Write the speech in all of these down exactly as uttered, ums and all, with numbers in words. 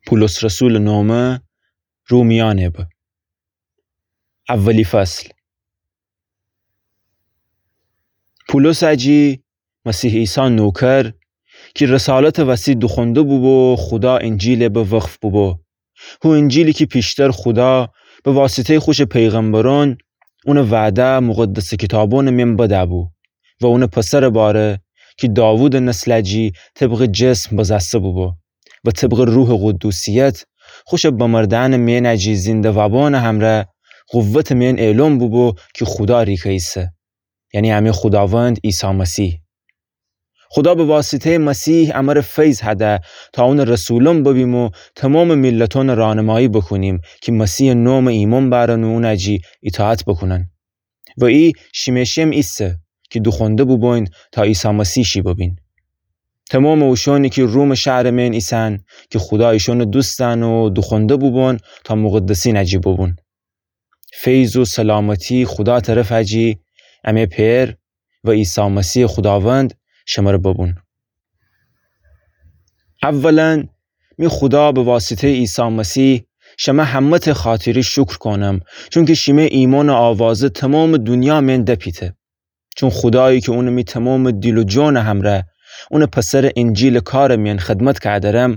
پولس رسولٚ نامه، رومیأنٚ بب. اولی فصل. پولس اجی، مسیح عیسی نوکر، کی رسالتٚ وسی دوخونده بوبو، خودا انجیلٚ بب وقف بوبو. هو انجیلی کی پیشتر خودا به واسطه‌یٚ خوشٚ پیغمبرأن اونٚ وعده مقدسٚ کیتابأنٚ مئن بده‌بو و اونٚ پسرٚ باره کی داوودٚ نسل اجی طبقٚ جسم بزأسته بوبو و طبقٚ روحٚ قدوسیت خوشٚ بمردأنٚ مئن اجی زنده وابأنٚ همره قوتٚ مئن اعلام بوبو کی خودا ریکه ایسه، یعنی همه خوداوند عیسی مسیح. خودا به واسطه‌یٚ مسیح امره فیض هده تا اونٚ رسولأن ببیم و تومامٚ میلتأنٚ رانمایی بوکونیم کی مسیحٚ نامٚ ایمأن بأرن و اون اجی ایطاعت بوکونن. و ای شیمه شم ایسه کی دوخونده بوبوین تا عیسی مسیح شی ببین. تومامٚ اوشأنی کی رومٚ شهرٚ مئن ایسن کی خودا ایشأنٚ دوست دأن و دوخونده بوبون تا مقدسین اجی بوبون. فیض و سلامتی خودا طرف اجی، امه پئر و عیسی مسیحٚ خوداوند شمره ببون. اولاً، می خودا به واسطه‌یٚ عیسی مسیح شمه همه‌تأ خاطری شکر کونم، چونکی شیمه ایمأنٚ آوازه تومامٚ دونیا مئن دپیته. چون خودایی کی اونٚ می تومامٚ دیل و جانٚ همره اونٚ پسرٚ انجیلٚ کارٚ مئن خدمت کأدرم،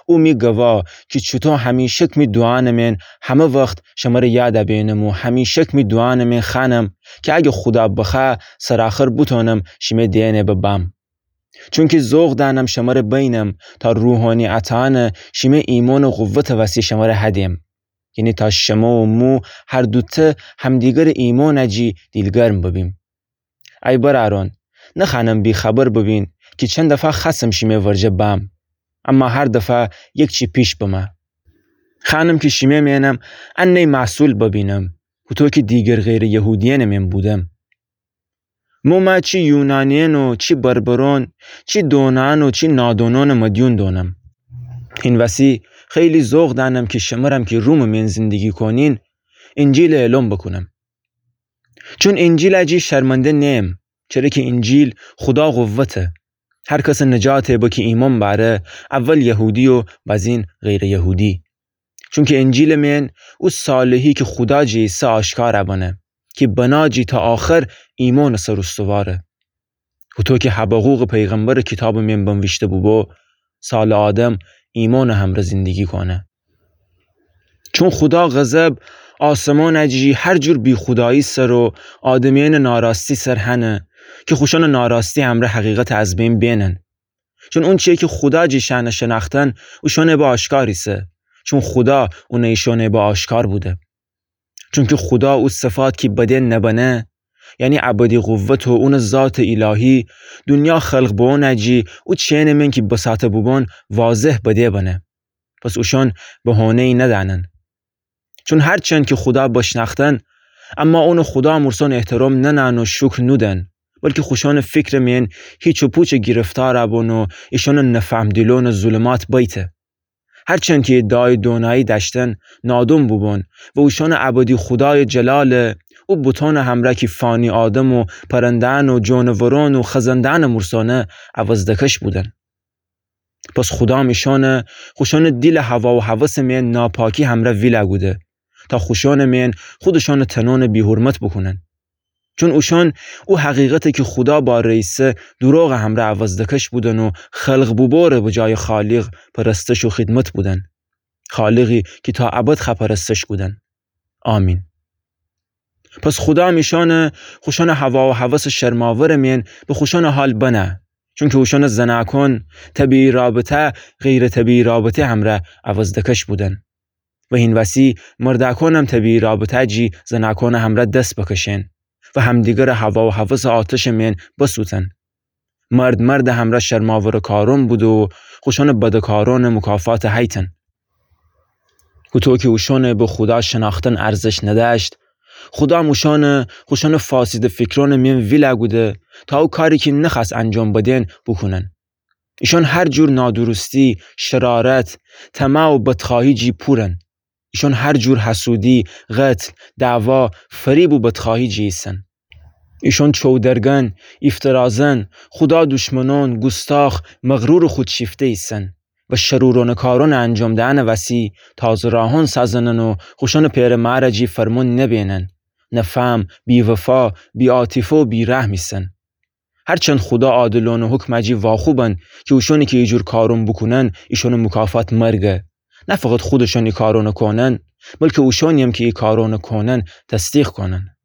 او می گوا کی چوطو همیشک می دوعانٚ مئن همه وخت شمره یاد بینم و همیشک می دوعانٚ مئن خوأنم کی اگه خودا بخوأ سرآخر بوتونم شیمه دئنٚ بب بم. چونکی ذوق دأنم شمره بینم تا روحانی عطاأنٚ شیمه ایمأنٚ قوتٚ وسی شمره هدیم. یعنی تا شمه و مو هر دوتأ همدیگرٚ ایمأن اجی دیلگرم ببیم. ای برأرأن، نخوأنم بی‌خبر ببین کی چند دفعه خوأستم شیمه ورجه بم، اما هر دفعه یک چی پیش بمه. خوأنم کی شیمه مئنم انه محصول ببینم، هوطو کی دیگر غیرٚ یهودیأنٚ مئن بودم. مو مه چی یونانیأن و چی بربرأن، چی دونأن و چی نادونأنٚ مدیون دونم. هین وسی خیلی ذوق دأنم کی شمرم کی رومٚ مئن زندگی کونین، انجیلٚ اعلام بوکونم. چون انجیل اجی شرمنده نیم، چره کی انجیل خودا قوته. هر کسٚ نجاتٚ به کی ایمأن بأره، اول یهودی و بازین غیرٚ یهودی. چونکی انجیلٚ مئن او صالحی کی خودا جی ایسه آشکار بنه، کی بنا جی تا آخر ایمأنٚ سر استواره. هوطو کی حبقوقٚ پیغمبرٚ کیتابٚ مئن بنویشته بوبو، سالٚ آدم ایمأنٚ همره زندگی کونه. چون خودا غضب آسمانٚ جی هر جور بی‌خودایی سر و آدمیأنٚ ناراستی سر هنه، کی خوشأنٚ ناراستی همره حقیقت از بین بینن. چون اونچیی کی خودا جی شأنٚ شنأختن اوشأنٚ به آشکار ایسه، چون خودا اون ایشأنٚ به آشکار بوده. چونکی خودا او صفات کی بدن نبنه، یعنی ابدی قوت و اونٚ ذاتٚ الهی، دونیا خلق بونٚ جی او چینٚ مئن کی بساطه بوبون واضح بده بنه. پس اوشأن بهانه‌یی ندأنن. چون هرچند کی خودا بشنأختن، اما اونٚ خودا مورسون احترام ننأن و شکر نودن، بلکی خوشأنٚ فیکرٚ مئن هیچ و پوچٚ گرفتار بون و ایشأنٚ نفهم دیلون ظلمات بیته. هرچند کی ادعایٚ دونایی دأشتن، نادون بوبون و اوشأنٚ ابدی خودایٚ جلال او بوتونٚ همره کی فانی آدم و پرنده‌یأن و جونورون و خزنده‌یأنٚ مورسانه عوض دکش بودن. پس خودام ایشأنه خوشأنٚ دیلٚ هوا و هوسٚ مئن ناپاکی همره ویله کوده، تا خوشأنٚ مئن خودشأنٚ تنونٚ بی‌حرمت بوکونن. چون اوشأن او حقیقته کی خودا باره ایسه دوروغٚ همره عوض دکش بودن و خلق بوبوره به جایٚ خالق پرستش و خدمت بودن، خالقی کی تا ابد خوأ پرستش کودن. آمین. پس خودام ایشأنه خوشأنٚ هوا و هوسٚ شرماورٚ مئن به خوشأنٚ حال بنه، چونکی اوشأنٚ زنأکون طبیعی رابطه غیرٚ طبیعی رابطه همره عوض دکش بودن. و هین وسی مردأکونم طبیعی رابطه جی زنأکونٚ همره دس بکشین و همدیگرٚ هوا و هوسٚ آتشٚ مئن بسوتن. مرد مردٚ همره شرماورٚ کارون بوده و خوشأنٚ بدٚ کارونٚ مکافات هیتن. هوطو کی اوشأنٚ به خودا شنأختن ارزش ندأشت، خودام اوشأنه خوشأنٚ فاسدٚ فیکرونٚ مئن ویله کوده، تا او کاری کی نخوأست انجام بدین بوکونن. ایشأن هر جور نادرستی، شرارت، طمع و بدخواهی جی پورن. ایشأن هر جور حسودی، قتل، دعوا، فریب و بدخواهی جی ایسن. ایشأن چودرگن، ایفترازن، خودا دشمنون، گوستاخ، مغرورٚ خودشیفته ایسن. و شرورانه کارانه انجام دهنه وسی تازه راهان سازنن و خوشانه پئره ماره جی فرمان نبینن. نفهم، بی‌وفا، بی‌عاطفه و بی‌رحم ایسن. هرچند خودا عادلانه حکمه جی واخوبن کی اوشانی کی ایجور کاران بوکونن ایشانه مکافات مرگه. نه فقط خودشان ای کارانه کونن، بلکه اوشانی‌یم کی ای کارانه کونن تصدیق کونن.